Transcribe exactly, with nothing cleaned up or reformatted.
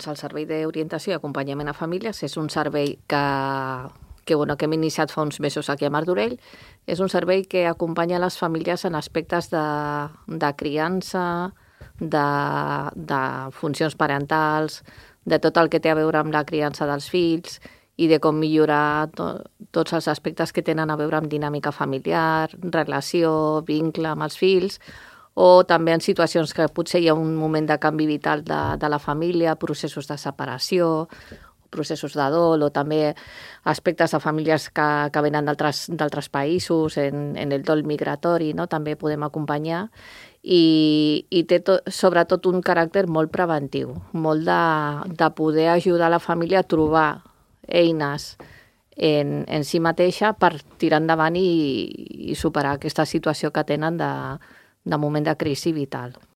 Doncs el Servei d'Orientació i Acompanyament a Famílies és un servei que, que, bueno, que hem iniciat fa uns mesos aquí a Martorell. És un servei que acompanya les famílies en aspectes de, de criança, de, de funcions parentals, de tot el que té a veure amb la criança dels fills i de com millorar to, tots els aspectes que tenen a veure amb dinàmica familiar, relació, vincle amb els fills, o també en situacions que potser hi ha un moment de canvi vital de, de la família, processos de separació, processos de dol, o també aspectes de famílies que, que venen d'altres països, en, en el dol migratori, no? També podem acompanyar, i, i té to, sobretot un caràcter molt preventiu, molt de, de poder ajudar la família a trobar eines en, en si mateixa per tirar endavant i, i superar aquesta situació que tenen de, de moment de crisi vital.